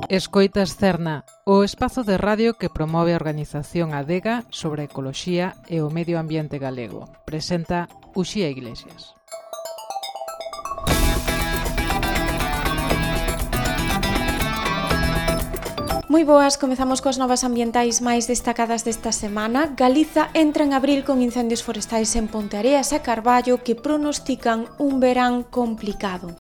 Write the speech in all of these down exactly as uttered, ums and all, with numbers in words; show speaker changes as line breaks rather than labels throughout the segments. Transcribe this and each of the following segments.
Escoitas Cerna, o espazo de radio que promove a organización Adega sobre a ecoloxía e o medio ambiente galego. Presenta Uxía Iglesias.
Moi boas, comezamos coas novas ambientais máis destacadas desta semana. Galiza entra en abril con incendios forestais en Ponteareas e Carballo que pronostican un verán complicado.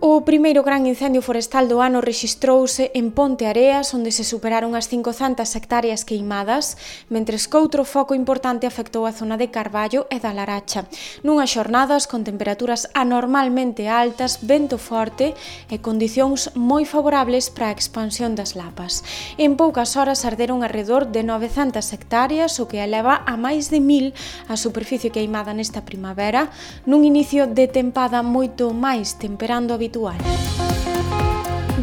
O primeiro gran incendio forestal do ano rexistrouse en Ponteareas, onde se superaron as cincocentas hectáreas queimadas, mentres que outro foco importante afectou a zona de Carballo e da Laracha. Nunhas xornadas con temperaturas anormalmente altas, vento forte e condicións moi favorables para a expansión das lapas. En poucas horas arderon arredor de novecentas hectáreas, o que eleva a máis de mil a superficie queimada nesta primavera, nun inicio de tempada moito máis temperando habitual.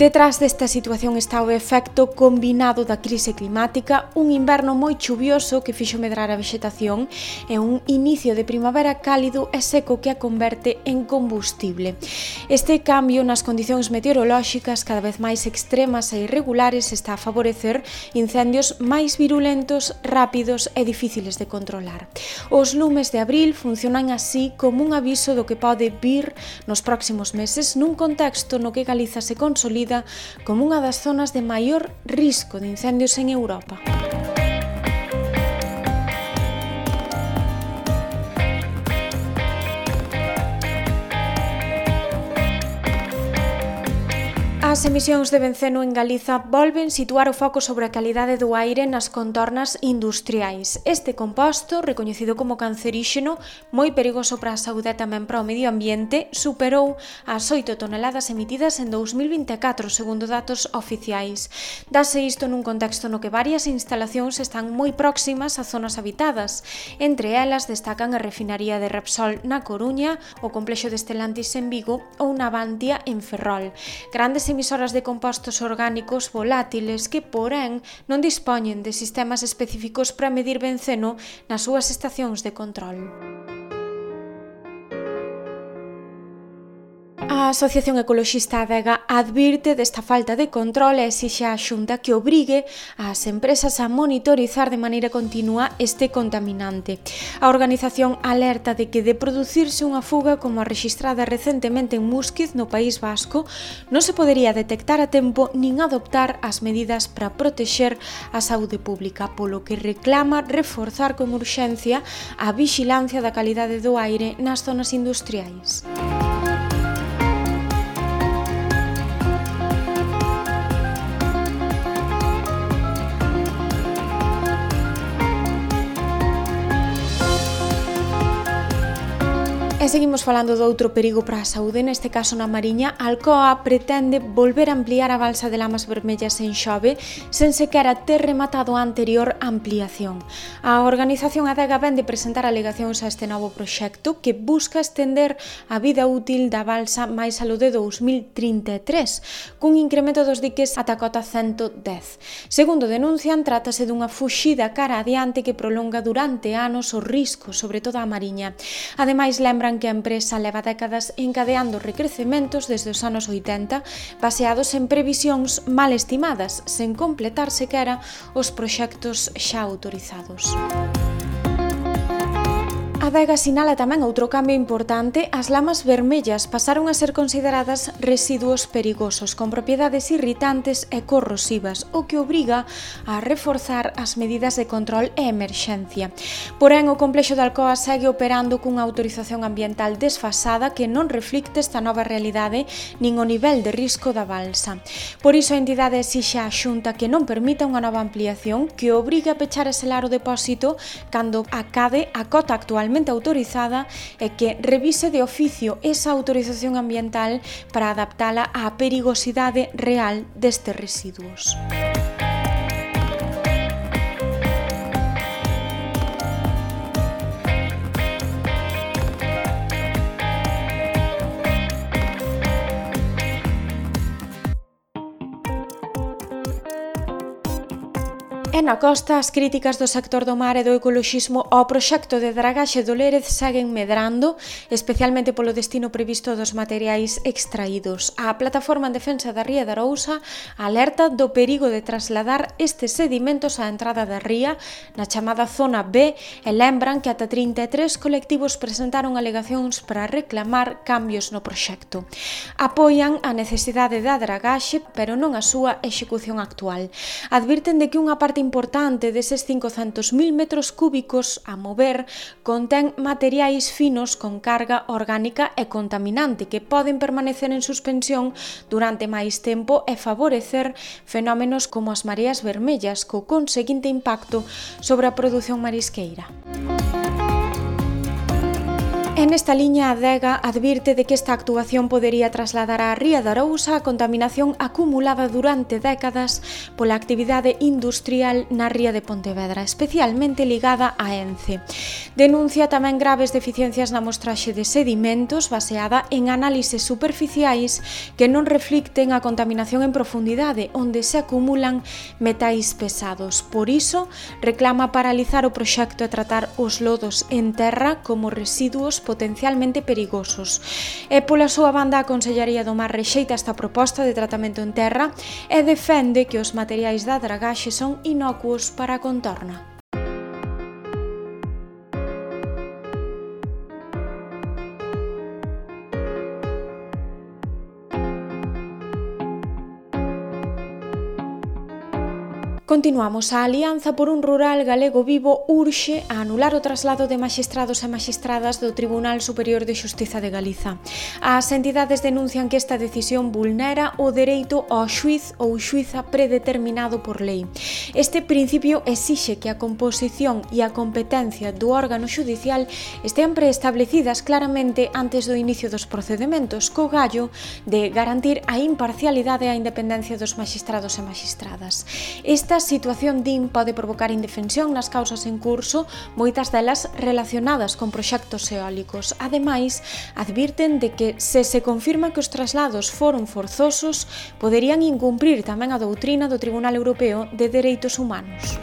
Detrás desta situación está o efecto combinado da crise climática, un inverno moi chuvioso que fixo medrar a vexetación e un inicio de primavera cálido e seco que a converte en combustible. Este cambio nas condicións meteorolóxicas cada vez máis extremas e irregulares está a favorecer incendios máis virulentos, rápidos e difíciles de controlar. Os lumes de abril funcionan así como un aviso do que pode vir nos próximos meses nun contexto no que Galiza se consolida como unha das zonas de maior risco de incendios en Europa. As emisións de benceno en Galiza volven situar o foco sobre a calidade do aire nas contornas industriais. Este composto, recoñecido como canceríxeno, moi perigoso para a saúde e tamén para o medio ambiente, superou as oito toneladas emitidas en dous mil vinte e catro, segundo datos oficiais. Dase isto nun contexto no que varias instalacións están moi próximas a zonas habitadas. Entre elas destacan a refinaría de Repsol na Coruña, o complexo de Stellantis en Vigo ou Navantia en Ferrol. Grandes emisoras de compostos orgánicos volátiles que, porén, non dispoñen de sistemas específicos para medir benceno nas súas estacións de control. A Asociación Ecoloxista Adega advirte desta falta de control e exixe á Xunta que obrigue ás empresas a monitorizar de maneira continua este contaminante. A organización alerta de que de producirse unha fuga como a rexistrada recentemente en Músquiz, no País Vasco, non se podería detectar a tempo nin adoptar as medidas para protexer a saúde pública, polo que reclama reforzar con urxencia a vixilancia da calidade do aire nas zonas industriais. E seguimos falando do outro perigo para a saúde, neste caso na Mariña. Alcoa pretende volver a ampliar a balsa de Lamas Vermellas en Xove sen sequera ter rematado a anterior ampliación. A organización Adega vén de presentar alegacións a este novo proxecto que busca estender a vida útil da balsa máis alo de dous mil trinta e tres, cun incremento dos diques ata a cota cento dez. Segundo denuncian, trátase dunha fuxida cara adiante que prolonga durante anos o risco, sobre todo a Mariña. Ademais, lembran que a empresa leva décadas encadeando recrecementos desde os anos oitenta baseados en previsións mal estimadas, sen completar sequera os proxectos xa autorizados. A Adega sinala tamén outro cambio importante. As lamas vermellas pasaron a ser consideradas residuos perigosos con propiedades irritantes e corrosivas, o que obriga a reforzar as medidas de control e emerxencia. Porén, o complexo de Alcoa segue operando cunha autorización ambiental desfasada que non reflicte esta nova realidade nin o nivel de risco da balsa. Por iso, a entidade exixe á Xunta que non permita unha nova ampliación que obrigue a pechar e selar o depósito cando acabe a cota actualmente autorizada e que revise de oficio esa autorización ambiental para adaptala á perigosidade real destes residuos. E na costa, as críticas do sector do mar e do ecoloxismo ao proxecto de dragaxe do Lérez seguen medrando, especialmente polo destino previsto dos materiais extraídos. A Plataforma en Defensa da Ría de Arousa alerta do perigo de trasladar estes sedimentos á entrada da ría na chamada Zona B e lembran que ata trinta e tres colectivos presentaron alegacións para reclamar cambios no proxecto. Apoian a necesidade da dragaxe, pero non a súa execución actual. Advirten de que unha parte importante deses cincocentos mil metros cúbicos a mover contén materiais finos con carga orgánica e contaminante que poden permanecer en suspensión durante máis tempo e favorecer fenómenos como as mareas vermellas, co conseguinte impacto sobre a produción marisqueira. En esta liña, a Adega advirte de que esta actuación podería trasladar á Ría de Arousa a contaminación acumulada durante décadas pola actividade industrial na ría de Pontevedra, especialmente ligada a Ence. Denuncia tamén graves deficiencias na mostraxe de sedimentos baseada en análises superficiais que non reflicten a contaminación en profundidade, onde se acumulan metais pesados. Por iso, reclama paralizar o proxecto e tratar os lodos en terra como residuos potencialmente perigosos. E pola súa banda, a Consellería do Mar rexeita esta proposta de tratamento en terra e defende que os materiais da dragaxe son inocuos para a contorna. Continuamos. A Alianza por un Rural Galego Vivo urxe a anular o traslado de maxistrados e maxistradas do Tribunal Superior de Xustiza de Galiza. As entidades denuncian que esta decisión vulnera o dereito ao xuiz ou xuiza predeterminado por lei. Este principio exixe que a composición e a competencia do órgano xudicial estean preestablecidas claramente antes do inicio dos procedementos, co gallo de garantir a imparcialidade e a independencia dos maxistrados e maxistradas. Esta situación, din, pode provocar indefensión nas causas en curso, moitas delas relacionadas con proxectos eólicos. Ademais, advirten de que, se se confirma que os traslados foron forzosos, poderían incumprir tamén a doutrina do Tribunal Europeo de Dereitos Humanos.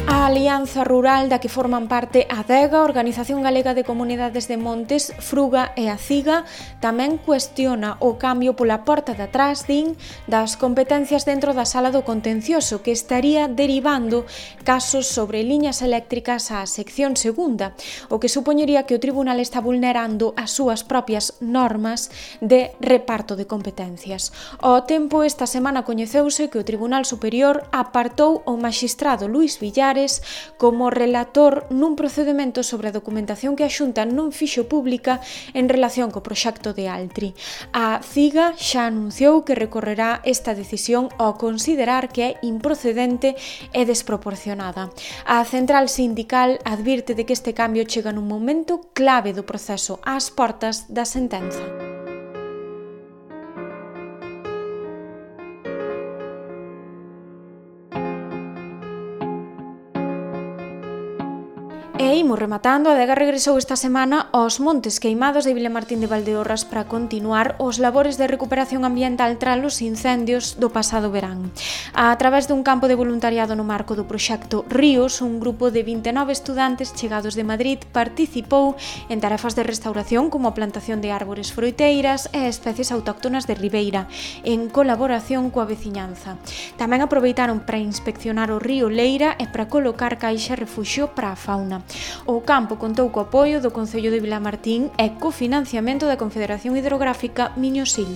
A Alianza Rural, da que forman parte a Adega, Organización Galega de Comunidades de Montes, Fruga e a CIGA, tamén cuestiona o cambio pola porta de atrás, din, das competencias dentro da sala do contencioso, que estaría derivando casos sobre liñas eléctricas á sección segunda, o que supoñería que o tribunal está vulnerando as súas propias normas de reparto de competencias. Ao tempo, esta semana coñeceuse que o Tribunal Superior apartou o maxistrado Luís Villares como relator nun procedemento sobre a documentación que a Xunta non fixo pública en relación co proxecto de Altri. A CIGA xa anunciou que recorrerá esta decisión ao considerar que é improcedente e desproporcionada. A central sindical advirte de que este cambio chega nun momento clave do proceso ás portas da sentenza. E imos rematando. A Adega regresou esta semana aos Montes Queimados de Vilamartín de Valdeorras para continuar os labores de recuperación ambiental tras os incendios do pasado verán. A través dun campo de voluntariado no marco do proxecto Ríos, un grupo de vinte e nove estudantes chegados de Madrid participou en tarefas de restauración como a plantación de árbores froiteiras e especies autóctonas de ribeira, en colaboración coa veciñanza. Tamén aproveitaron para inspeccionar o río Leira e para colocar caixa refuxio para a fauna. O campo contou co apoio do Concello de Vilamartín e co financiamento da Confederación Hidrográfica Miño-Sil.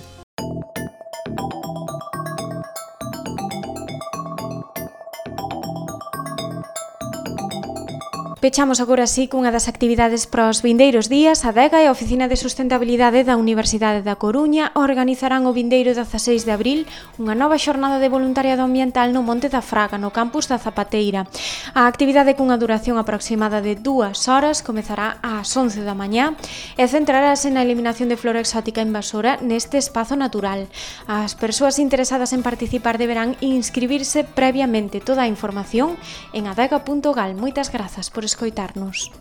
Pechamos agora así cunha das actividades para os vindeiros días. A Adega e a Oficina de Sustentabilidade da Universidade da Coruña organizarán o vindeiro dezaseis de abril unha nova xornada de voluntariado ambiental no Monte da Fraga, no campus da Zapateira. A actividade, cunha duración aproximada de dúas horas, comezará ás once da mañá e centrarase na eliminación de flora exótica invasora neste espazo natural. As persoas interesadas en participar deberán inscribirse previamente. Toda a información en adega punto gal. Moitas grazas por escoitarnos.